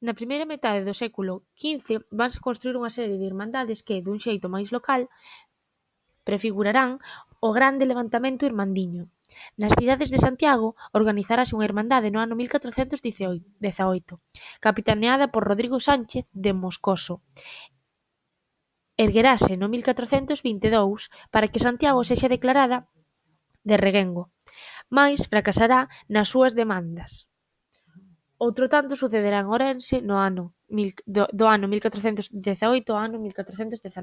Na primeira metade do século XV vanse construír unha serie de irmandades que, dun xeito máis local, prefigurarán o grande levantamento irmandiño. Nas cidades de Santiago organizarase unha irmandade no ano 1418, capitaneada por Rodrigo Sánchez de Moscoso. Erguerase no 1422 para que Santiago sexa declarada de reguengo, mais fracasará nas súas demandas. Outro tanto sucederá en Ourense do ano 1418 ao ano 1419.